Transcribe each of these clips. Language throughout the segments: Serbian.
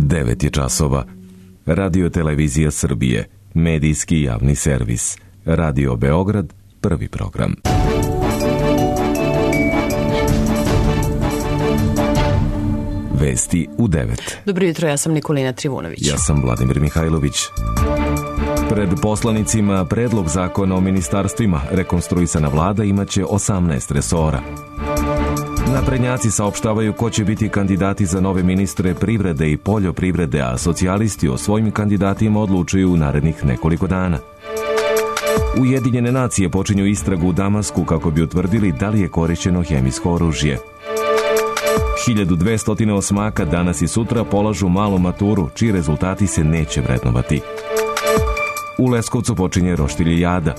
9 je časova. Radio Televizija Srbije, medijski javni servis. Radio Beograd, prvi program. Vesti u 9. Dobro jutro, ja sam Nikolina Trivunović. Ja sam Vladimir Mihajlović. Pred poslanicima predlog zakona o ministarstvima. Rekonstruisana vlada imaće 18 resora. Naprednjaci saopštavaju ko će biti kandidati za nove ministre privrede i poljoprivrede, a socijalisti o svojim kandidatima odlučuju u narednih nekoliko dana. Ujedinjene nacije počinju istragu u Damasku kako bi utvrdili da li je korišćeno hemijsko oružje. 1200 osmaka danas i sutra polažu malu maturu, čiji rezultati se neće vrednovati. U Leskovcu počinje roštiljijada.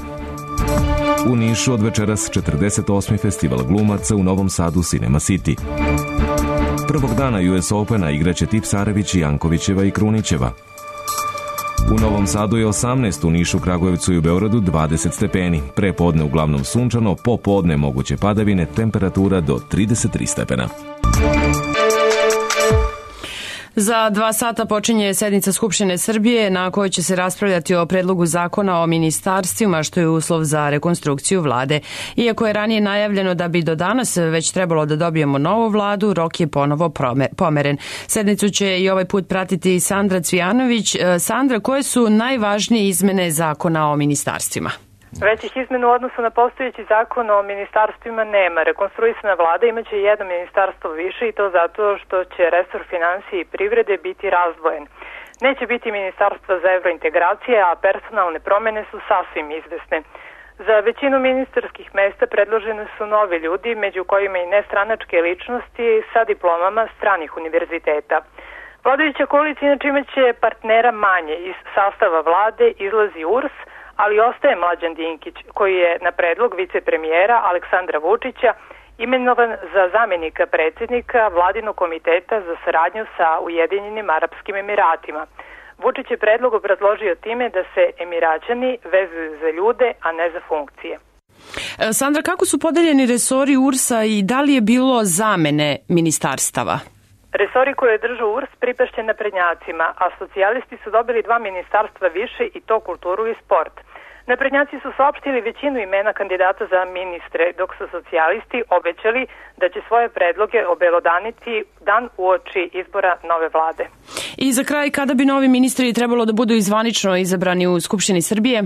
U Nišu od večeras 48. festival glumaca, u Novom Sadu Cinema City. Prvog dana US Opena igraće Tipsarević, Jankovićeva i Krunićeva. U Novom Sadu je 18, u Nišu, Kragujevcu i u Beogradu 20 stepeni. Pre podne uglavnom sunčano, popodne moguće padavine, temperatura do 33 stepena. Za 2 sata počinje sednica Skupštine Srbije na kojoj će se raspravljati o predlogu zakona o ministarstvima, što je uslov za rekonstrukciju vlade. Iako je ranije najavljeno da bi do danas već trebalo da dobijemo novu vladu, rok je ponovo pomeren. Sednicu će i ovaj put pratiti Sandra Cvijanović. Sandra, koje su najvažnije izmene zakona o ministarstvima? Većih izmena u odnosu na postojeći zakon o ministarstvima nema. Rekonstruisana vlada imaće jedno ministarstvo više i to zato što će resor finansije i privrede biti razdvojen. Neće biti ministarstva za evrointegracije, a personalne promene su sasvim izvesne. Za većinu ministarskih mesta predložene su novi ljudi, među kojima i nestranačke ličnosti sa diplomama stranih univerziteta. Vladajuća koalicija inače imaće partnera manje. Iz sastava vlade izlazi URS, ali ostaje Mlađan Dinkić, koji je na predlog vicepremijera Aleksandra Vučića imenovan za zamjenika predsjednika Vladinog komiteta za saradnju sa Ujedinjenim Arapskim Emiratima. Vučić je predlog obrazložio time da se Emiraćani vezuju za ljude, a ne za funkcije. Sandra, kako su podeljeni resori URS-a i da li je bilo zamene ministarstava? Resori koje je držao URS pripašće naprednjacima, a socijalisti su dobili 2 ministarstva više i to kulturu i sport. Naprednjaci su saopštili većinu imena kandidata za ministre, dok su socijalisti obećali da će svoje predloge obelodaniti dan uoči izbora nove vlade. I za kraj, kada bi novi ministri trebalo da budu zvanično izabrani u Skupštini Srbije?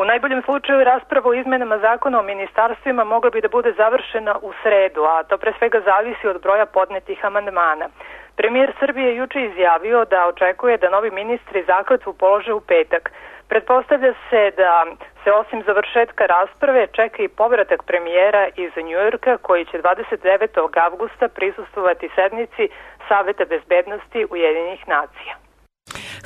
U najboljem slučaju rasprava o izmenama zakona o ministarstvima mogla bi da bude završena u sredu, a to pre svega zavisi od broja podnetih amandmana. Premijer Srbije juče izjavio da očekuje da novi ministri zakletvu polože u petak. Pretpostavlja se da se osim završetka rasprave čeka i povratak premijera iz Njujorka, koji će 29. avgusta prisustvovati sednici Saveta bezbednosti Ujedinjenih nacija.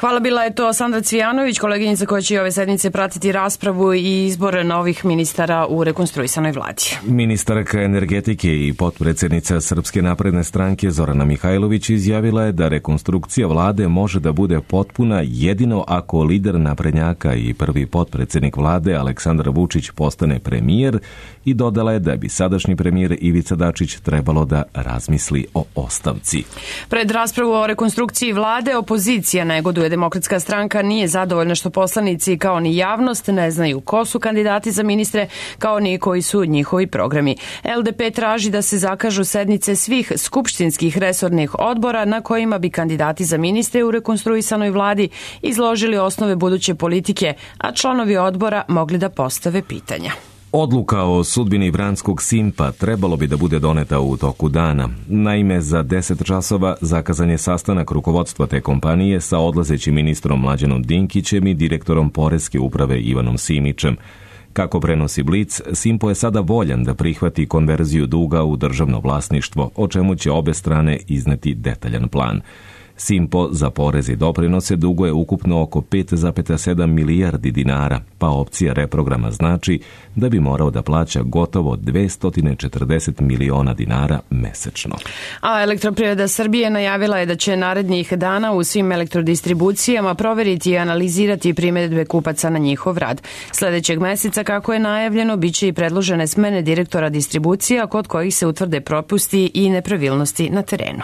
Hvala, bila je to Sandra Cvijanović, koleginica koja će ove sednice pratiti raspravu i izbor novih ministara u rekonstruisanoj vladi. Ministarka energetike i potpredsjednica Srpske napredne stranke Zorana Mihajlović izjavila je da rekonstrukcija vlade može da bude potpuna jedino ako lider naprednjaka i prvi potpredsjednik vlade Aleksandar Vučić postane premijer i dodala je da bi sadašnji premijer Ivica Dačić trebalo da razmisli o ostavci. Pred raspravu o rekonstrukciji vlade opozicija negoduje. Demokratska stranka nije zadovoljna što poslanici kao ni javnost ne znaju ko su kandidati za ministre, kao ni koji su njihovi programi. LDP traži da se zakažu sednice svih skupštinskih resornih odbora na kojima bi kandidati za ministre u rekonstruisanoj vladi izložili osnove buduće politike, a članovi odbora mogli da postave pitanja. Odluka o sudbini vranskog Simpa trebalo bi da bude doneta u toku dana. Naime, za 10 časova zakazan je sastanak rukovodstva te kompanije sa odlazećim ministrom Mlađanom Dinkićem i direktorom Poreske uprave Ivanom Simićem. Kako prenosi Blic, Simpo je sada voljan da prihvati konverziju duga u državno vlasništvo, o čemu će obe strane izneti detaljan plan. Simpo za porez i doprinose duguje ukupno oko 5,7 milijardi dinara, pa opcija reprograma znači da bi morao da plaća gotovo 240 miliona dinara mesečno. A Elektroprivreda Srbije najavila je da će narednih dana u svim elektrodistribucijama proveriti i analizirati primedbe kupaca na njihov rad. Sledećeg meseca, kako je najavljeno, biće i predložene smene direktora distribucija kod kojih se utvrde propusti i nepravilnosti na terenu.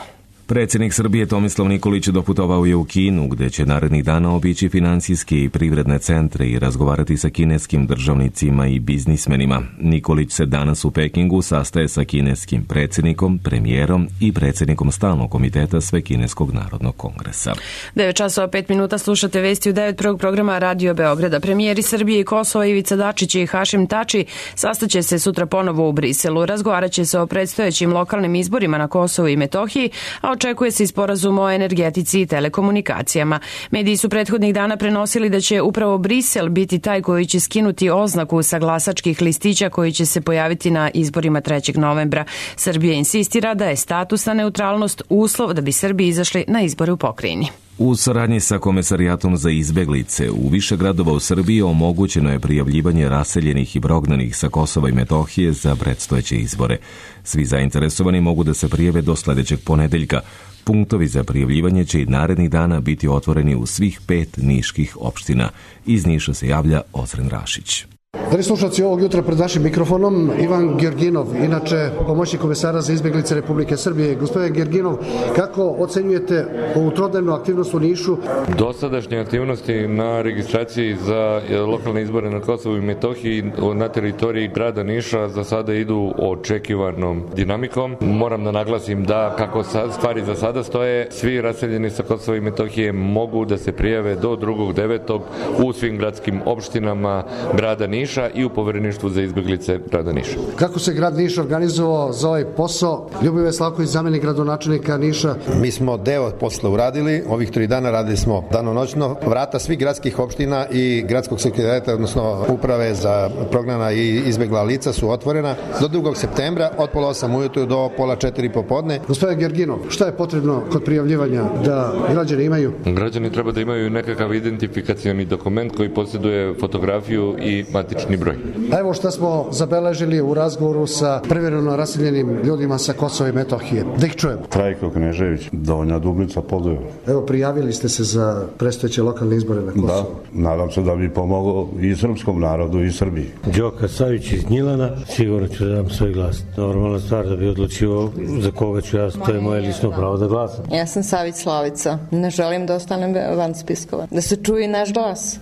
Predsjednik Srbije Tomislav Nikolić doputovao je u Kinu, gde će narednih dana obići finansijske i privredne centre i razgovarati sa kineskim državnicima i biznismenima. Nikolić se danas u Pekingu sastaje sa kineskim predsjednikom, premijerom i predsjednikom Stalnog komiteta Svekineskog narodnog kongresa. 9:05 slušate vesti u 9. programa Radio Beograda. Premijeri Srbije i Kosova Ivica Dačić i Hašim Tači sastaće se sutra ponovo u Briselu. Razgovarat će se o predstojećim lokalnim izborima na Kosovu i Metohiji, a očekuje se i sporazum o energetici i telekomunikacijama. Mediji su prethodnih dana prenosili da će upravo Brisel biti taj koji će skinuti oznaku sa glasačkih listića koji će se pojaviti na izborima 3. novembra. Srbija insistira da je statusna neutralnost uslov da bi Srbi izašli na izbore u pokrajini. U saradnji sa Komesarijatom za izbeglice u više gradova u Srbiji omogućeno je prijavljivanje raseljenih i prognanih sa Kosova i Metohije za predstojeće izbore. Svi zainteresovani mogu da se prijave do sledećeg ponedeljka. Punktovi za prijavljivanje će i narednih dana biti otvoreni u svih 5 niških opština. Iz Niša se javlja Ozren Rašić. Dragi slušalci, ovog jutra pred našim mikrofonom Ivan Georginov, inače pomoćnik komesara za izbeglice Republike Srbije. Gospodin Georginov, kako ocenjujete ovu trodnevnu aktivnost u Nišu? Dosadašnje aktivnosti na registraciji za lokalne izbore na Kosovu i Metohiji na teritoriji grada Niša za sada idu očekivanom dinamikom. Moram da naglasim da kako stvari za sada stoje, svi raseljeni sa Kosova i Metohije mogu da se prijave do 2.9. u svim gradskim opštinama grada Niša i u povereništvu za izbeglice grada Niša. Kako se grad Niš organizovao za ovaj posao? Ljubivoje Slavković, zamenik gradonačelnika Niša. Mi smo deo posla uradili, ovih 3 dana radili smo danonoćno. Vrata svih gradskih opština i gradskog sekretariata, odnosno uprave za prognana i izbegla lica su otvorena do 2. septembra od 3:30 ujutru do 3:30 popodne. Gospodin Georginov, šta je potrebno kod prijavljivanja da građani imaju? Građani treba da imaju nekakav identifikacioni dokument koji posjeduje fotografiju i matični broj. A evo šta smo zabeležili u razgovoru sa privremeno raseljenim ljudima sa Kosova i Metohije. Da ih čujemo. Trajko Knežević, Donja Dublica, Podujevo. Evo, prijavili ste se za predstojeće lokalne izbore na Kosovu. Da, nadam se da bi pomogao i srpskom narodu i Srbiji. Đoka Savić iz Gnjilana, sigurno ću da dam svoj glas. Normalna stvar da bi odlučio za koga ću ja, to je moje lično pravo da glasam. Ja sam Savić Slavica, ne želim da ostanem van spiskova, da se čuje naš glas.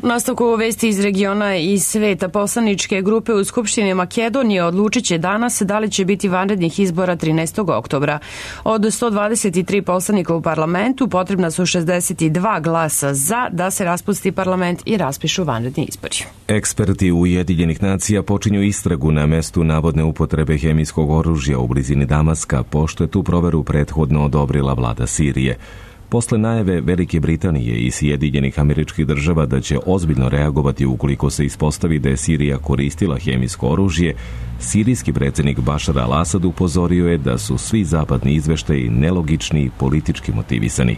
U nastavku vesti iz regiona i sveta, poslaničke grupe u Skupštini Makedonije odlučit će danas da li će biti vanrednih izbora 13. oktobra. Od 123 poslanika u parlamentu potrebna su 62 glasa za da se raspusti parlament i raspišu vanredni izbori. Eksperti Ujedinjenih nacija počinju istragu na mestu navodne upotrebe hemijskog oružja u blizini Damaska, pošto je tu proveru prethodno odobrila vlada Sirije. Posle najave Velike Britanije i Sjedinjenih Američkih Država da će ozbiljno reagovati ukoliko se ispostavi da je Sirija koristila hemijsko oružje, sirijski predsjednik Bašar al-Asad upozorio je da su svi zapadni izveštaji nelogični i politički motivisani.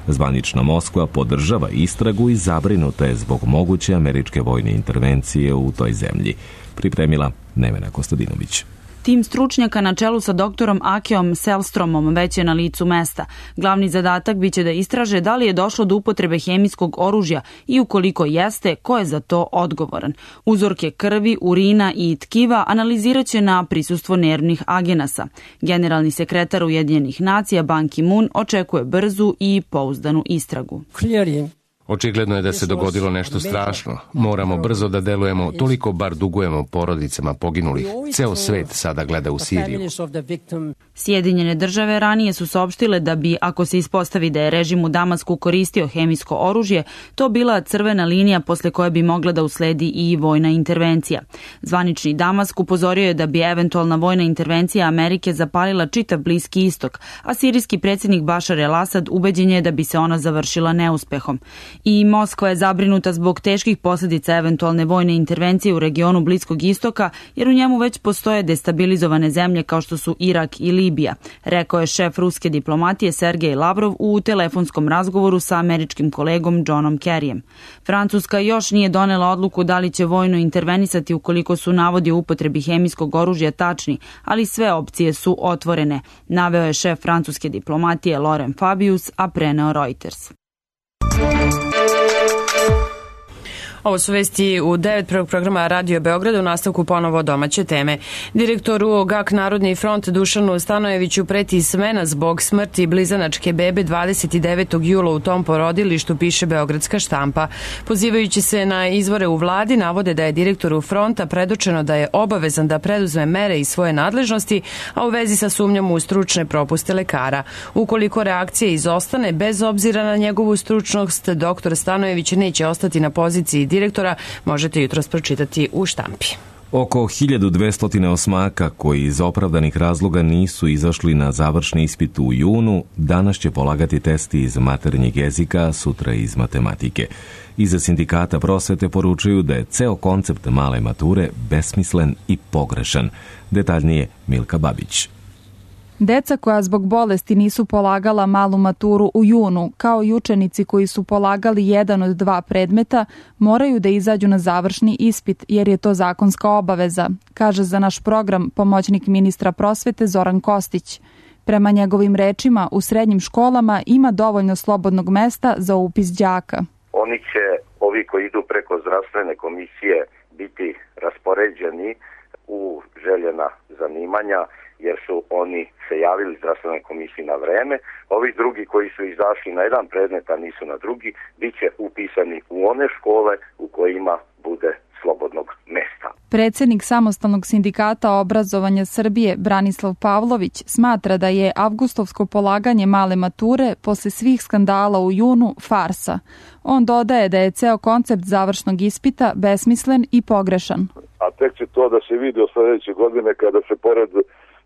Zvanična Moskva podržava istragu i zabrinuta je zbog moguće američke vojne intervencije u toj zemlji. Pripremila Nevena Kostadinović. Tim stručnjaka na čelu sa doktorom Akeom Selstromom već je na licu mesta. Glavni zadatak biće da istraže da li je došlo do upotrebe hemijskog oružja i ukoliko jeste, ko je za to odgovoran. Uzorke krvi, urina i tkiva analizirat će na prisustvo nervnih agenasa. Generalni sekretar Ujedinjenih nacija Ban Ki-moon očekuje brzu i pouzdanu istragu. Očigledno je da se dogodilo nešto strašno. Moramo brzo da delujemo, toliko bar dugujemo porodicama poginulih. Ceo svet sada gleda u Siriju. Sjedinjene države ranije su saopštile da bi, ako se ispostavi da je režim u Damasku koristio hemijsko oružje, to bila crvena linija posle koje bi mogla da usledi i vojna intervencija. Zvanični Damask upozorio je da bi eventualna vojna intervencija Amerike zapalila čitav Bliski istok, a sirijski predsjednik Bašar el-Asad ubeđen je da bi se ona završila neuspehom. I Moskva je zabrinuta zbog teških posljedica eventualne vojne intervencije u regionu Bliskog istoka, jer u njemu već postoje destabilizovane zemlje kao što su Irak i Libija, rekao je šef ruske diplomatije Sergej Lavrov u telefonskom razgovoru sa američkim kolegom Johnom Kerryjem. Francuska još nije donela odluku da li će vojno intervenisati ukoliko su navodi o upotrebi hemijskog oružja tačni, ali sve opcije su otvorene, naveo je šef francuske diplomatije Laurent Fabius, a preneo Reuters. Ovo su vesti u 9. programa Radio Beograda, u nastavku ponovo domaće teme. Direktoru GAK Narodni front Dušanu Stanojeviću preti smena zbog smrti blizanačke bebe 29. jula u tom porodilištu, piše Beogradska štampa. Pozivajući se na izvore u vladi, navode da je direktoru fronta predočeno da je obavezan da preduzme mere iz svoje nadležnosti, a u vezi sa sumnjom u stručne propuste lekara. Ukoliko reakcija izostane, bez obzira na njegovu stručnost, doktor Stanojević neće ostati na poziciji direktora, možete jutros pročitati u štampi. Oko 1200 osmaka koji iz opravdanih razloga nisu izašli na završni ispit u junu, danas će polagati testi iz maternjeg jezika, sutra iz matematike. Iza sindikata prosvete poručuju da je ceo koncept male mature besmislen i pogrešan. Detaljnije Milka Babić. Deca koja zbog bolesti nisu polagala malu maturu u junu, kao i učenici koji su polagali jedan od 2 predmeta, moraju da izađu na završni ispit jer je to zakonska obaveza, kaže za naš program pomoćnik ministra prosvete Zoran Kostić. Prema njegovim rečima, u srednjim školama ima dovoljno slobodnog mesta za upis đaka. Oni će, ovi koji idu preko zdravstvene komisije, biti raspoređeni u željena zanimanja, jer su oni se javili zdravstvenoj komisiji na vreme. Ovi drugi koji su izašli na jedan predmet, a nisu na drugi, bit će upisani u one škole u kojima bude slobodnog mesta. Predsjednik Samostalnog sindikata obrazovanja Srbije Branislav Pavlović smatra da je avgustovsko polaganje male mature posle svih skandala u junu farsa. On dodaje da je ceo koncept završnog ispita besmislen i pogrešan. A tek će to da se vidi od sljedeće godine kada se pored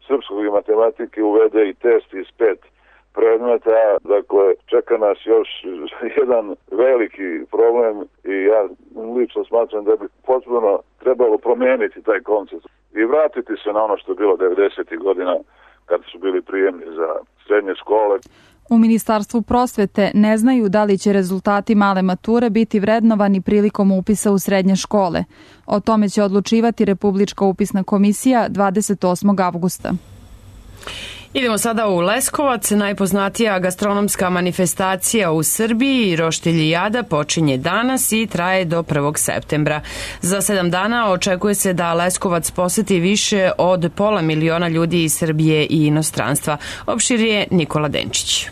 srpskog i matematike uvede i test iz 5 predmeta. Dakle, čeka nas još jedan veliki problem i ja lično smatram da bi potpuno trebalo promijeniti taj koncept i vratiti se na ono što je bilo 90. godina kad su bili prijemni za srednje škole. U Ministarstvu prosvete ne znaju da li će rezultati male mature biti vrednovani prilikom upisa u srednje škole. O tome će odlučivati Republička upisna komisija 28. avgusta. Idemo sada u Leskovac. Najpoznatija gastronomska manifestacija u Srbiji, Roštiljijada, počinje danas i traje do 1. septembra. Za 7 dana očekuje se da Leskovac poseti više od 500 miliona ljudi iz Srbije i inostranstva. Opširuje Nikola Denčić.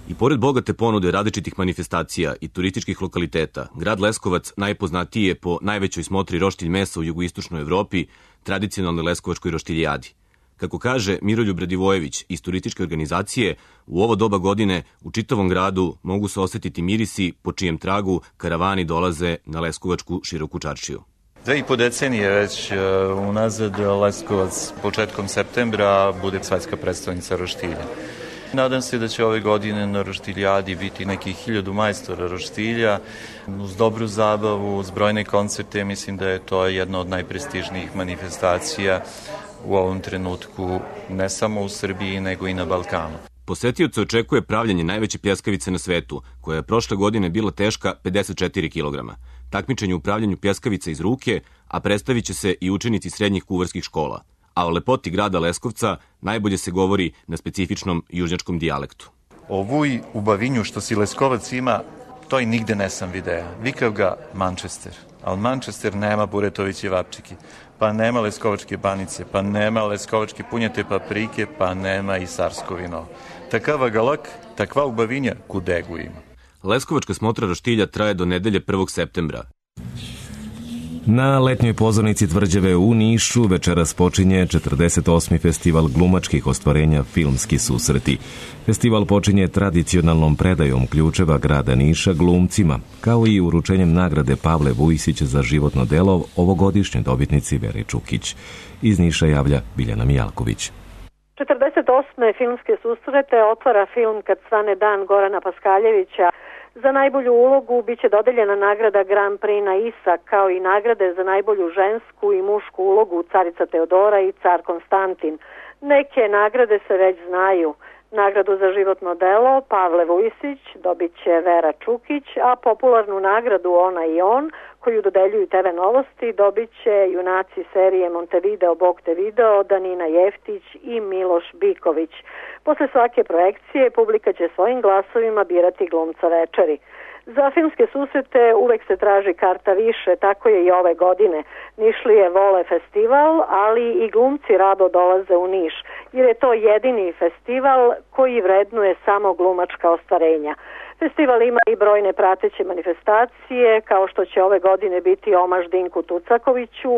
I pored bogate ponude različitih manifestacija i turističkih lokaliteta, grad Leskovac najpoznatiji je po najvećoj smotri roštilj mesa u jugoistočnoj Evropi, tradicionalnoj leskovačkoj roštiljijadi. Kako kaže Miroljub Radivojević iz turističke organizacije, u ovo doba godine u čitavom gradu mogu se osetiti mirisi po čijem tragu karavani dolaze na leskovačku široku čaršiju. 2,5 decenije već unazad Leskovac početkom septembra bude svetska predstavnica roštilja. Nadam se da će ove godine na roštiljadi biti nekih 1000 majstora roštilja, uz dobru zabavu, uz brojne koncerte. Mislim da je to jedna od najprestižnijih manifestacija u ovom trenutku, ne samo u Srbiji, nego i na Balkanu. Posetioce očekuje pravljanje najveće pljeskavice na svetu, koja je prošle godine bila teška 54 kg. Takmičenje u pravljanju pljeskavice iz ruke, a predstavit će se i učenici srednjih kuvarskih škola. A o lepoti grada Leskovca najbolje se govori na specifičnom južnjačkom dijalektu. Ovuj u Bavinju što si Leskovac ima, to i nigde ne sam video. Vikav ga Manchester, ali Manchester nema buretoviće vapčiki, pa nema leskovačke banice, pa nema leskovačke punjete paprike, pa nema i sarsko vino. Takava galak, takva u Bavinja, kudegu ima. Leskovačka smotra roštilja traje do nedelje 1. septembra. Na letnjoj pozornici Tvrđave u Nišu večeras počinje 48. festival glumačkih ostvarenja Filmski susreti. Festival počinje tradicionalnom predajom ključeva grada Niša glumcima, kao i uručenjem nagrade Pavle Vujsić za životno delo ovogodišnjoj dobitnici Veri Čukić. Iz Niša javlja Biljana Mijalković. 48. filmske susrete otvara film Kad svane dan Gorana Paskaljevića. Za najbolju ulogu biće dodeljena nagrada Grand Prix na ISA, kao i nagrade za najbolju žensku i mušku ulogu Carica Teodora i Car Konstantin. Neke nagrade se već znaju. Nagradu za životno delo Pavle Vujsić dobit će Vera Čukić, a popularnu nagradu Ona i on, koju dodeljuju TV Novosti, dobit će junaci serije Montevideo, Bog te video, Danina Jeftić i Miloš Biković. Posle svake projekcije publika će svojim glasovima birati glumca večeri. Za filmske susrete uvek se traži karta više, tako je i ove godine. Nišlije vole festival, ali i glumci rado dolaze u Niš, jer je to jedini festival koji vrednuje samo glumačka ostvarenja. Festival ima i brojne prateće manifestacije, kao što će ove godine biti omaž Dinku Tucakoviću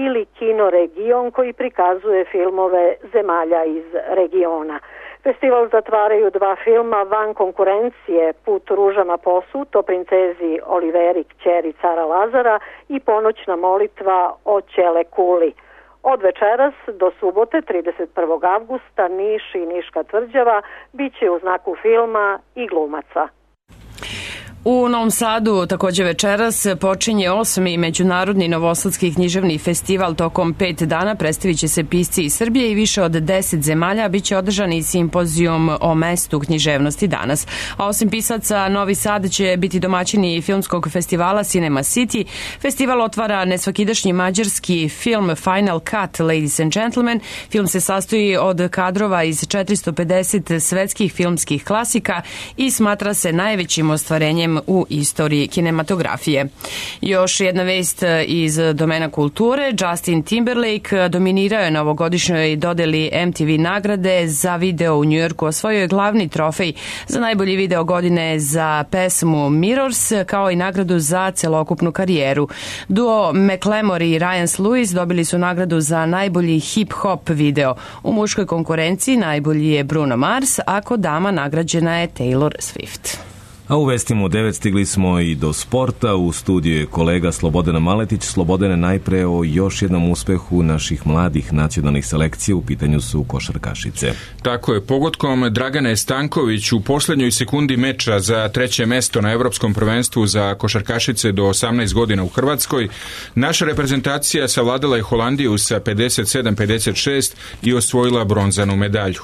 ili Kino Region koji prikazuje filmove zemalja iz regiona. Festival zatvaraju 2 filma van konkurencije, Put ružama posut o princezi Oliveri kćeri cara Lazara i Ponoćna molitva o Ćele Kuli. Od večeras do subote 31. avgusta Niš i Niška tvrđava bit će u znaku filma i glumaca. U Novom Sadu takođe večeras počinje 8. Međunarodni novosadski književni festival. Tokom 5 dana predstavit će se pisci iz Srbije i više od 10 zemalja. Biće održan i simpozijum o mestu književnosti danas. A osim pisaca, Novi Sad će biti domaćini filmskog festivala Cinema City. Festival otvara nesvakidašnji mađarski film Final Cut, Ladies and Gentlemen. Film se sastoji od kadrova iz 450 svetskih filmskih klasika i smatra se najvećim ostvarenjem u istoriji kinematografije. Još jedna vest iz domena kulture. Justin Timberlake dominirao je na ovogodišnjoj dodeli MTV nagrade za video u Njujorku. Osvojio je glavni trofej za najbolji video godine za pesmu Mirrors, kao i nagradu za celokupnu karijeru. Duo Macklemore i Ryan Lewis dobili su nagradu za najbolji hip-hop video. U muškoj konkurenciji najbolji je Bruno Mars, a kod dama nagrađena je Taylor Swift. A u vestima u 9 stigli smo i do sporta. U studiju je kolega Slobodan Maletić. Slobodane, najpre o još jednom uspehu naših mladih nacionalnih selekcija, u pitanju su košarkašice. Tako je, pogodkom Dragane Stanković u poslednjoj sekundi meča za 3. mesto na Evropskom prvenstvu za košarkašice do 18 godina u Hrvatskoj, naša reprezentacija savladala je Holandiju sa 57-56 i osvojila bronzanu medalju.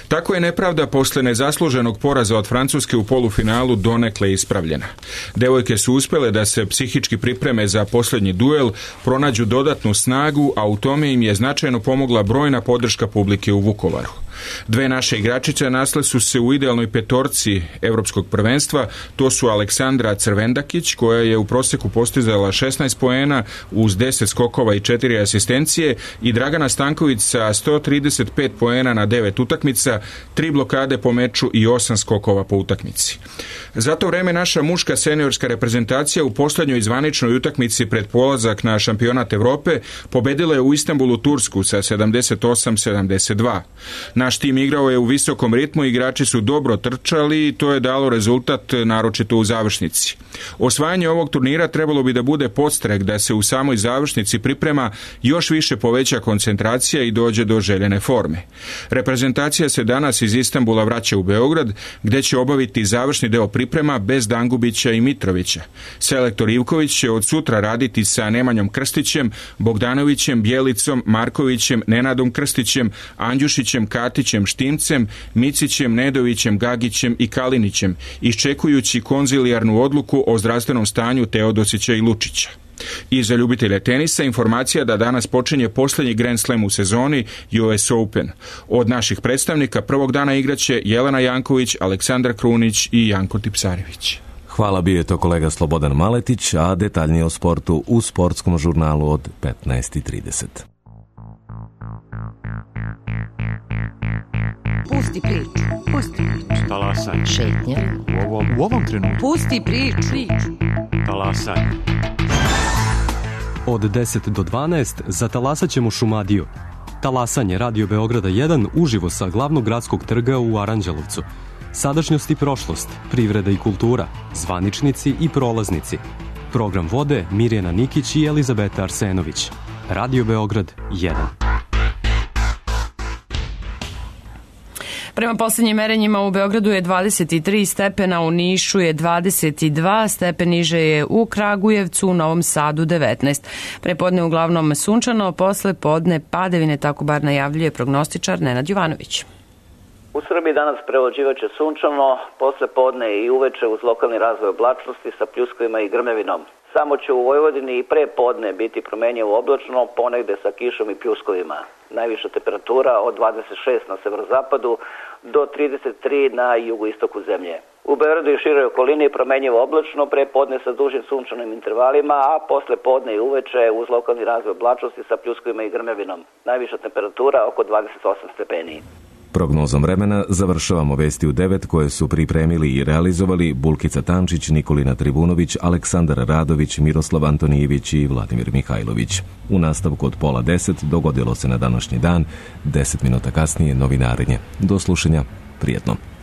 Tako je nepravda posle nezasluženog poraza od Francuske u polufinalu donekle ispravljena. Devojke su uspjele da se psihički pripreme za posljednji duel, pronađu dodatnu snagu, a u tome im je značajno pomogla brojna podrška publike u Vukovaru. 2 naše igračice nasle su se u idealnoj petorci Evropskog prvenstva, to su Aleksandra Crvendakić, koja je u proseku postizala 16 poena uz 10 skokova i 4 asistencije, i Dragana Stanković sa 135 poena na 9 utakmica, 3 blokade po meču i 8 skokova po utakmici. Za to vreme naša muška seniorska reprezentacija u posljednjoj zvaničnoj utakmici pred polazak na šampionat Evrope pobedila je u Istanbulu Tursku sa 78-72. Naš tim igrao je u visokom ritmu, igrači su dobro trčali i to je dalo rezultat naročito u završnici. Osvajanje ovog turnira trebalo bi da bude podstrek da se u samoj završnici priprema još više poveća koncentracija i dođe do željene forme. Reprezentacija se danas iz Istanbula vraća u Beograd, gde će obaviti završni deo priprema bez Dangubića i Mitrovića. Selektor Ivković će od sutra raditi sa Nemanjom Krstićem, Bogdanovićem, Bjelicom, Markovićem, Nenadom Krstićem, Andjušićem, Katićem, Štimcem, Micićem, Nedovićem, Gagićem i Kalinićem, iščekujući konzilijarnu odluku o zdravstvenom stanju Teodosića i Lučića. I za ljubitelje tenisa informacija da danas počinje posljednji Grand Slam u sezoni, US Open. Od naših predstavnika prvog dana igraće Jelena Janković, Aleksandar Krunić i Janko Tipsarević. Hvala, bio je to kolega Slobodan Maletić, a detaljnije o sportu u sportskom žurnalu od 15:30. Pusti priču. Pusti priču. Talasaj. Šetnja. U ovom trenutku. Pusti priču. Talasaj. Od 10 do 12 zatalasat ćemo Šumadiju. Talasanje Radio Beograda 1 uživo sa glavnog gradskog trga u Aranđelovcu. Sadašnjost i prošlost, privreda i kultura, zvaničnici i prolaznici. Program vode Mirjana Nikić i Elizabeta Arsenović. Radio Beograd 1. Prema poslednjim merenjima u Beogradu je 23 stepena, u Nišu je 22, stepen niže je u Kragujevcu, u Novom Sadu 19. Prepodne uglavnom sunčano, posle podne padavine, tako bar najavljuje prognostičar Nenad Jovanović. U Srbiji danas prevlađivaće sunčano, posle podne i uveče uz lokalni razvoj oblačnosti sa pljuskovima i grmevinom. Samo će u Vojvodini i pre podne biti promenjivo oblačno, ponegde sa kišom i pljuskovima. Najviša temperatura od 26 na severozapadu do 33 na jugoistoku zemlje. U Beogradu i široj okolini promenjivo oblačno, pre podne sa dužim sunčanim intervalima, a posle podne i uveče uz lokalni razvoj oblačnosti sa pljuskovima i grmljavinom. Najviša temperatura oko 28 stepeni. Prognozom vremena završavamo vesti u 9 koje su pripremili i realizovali Bulkica Tančić, Nikolina Tribunović, Aleksandar Radović, Miroslav Antonijević i Vladimir Mihajlović. U nastavku od 9:30 dogodilo se na današnji dan, 10 minuta kasnije novinarenje. Do slušanja, prijetno.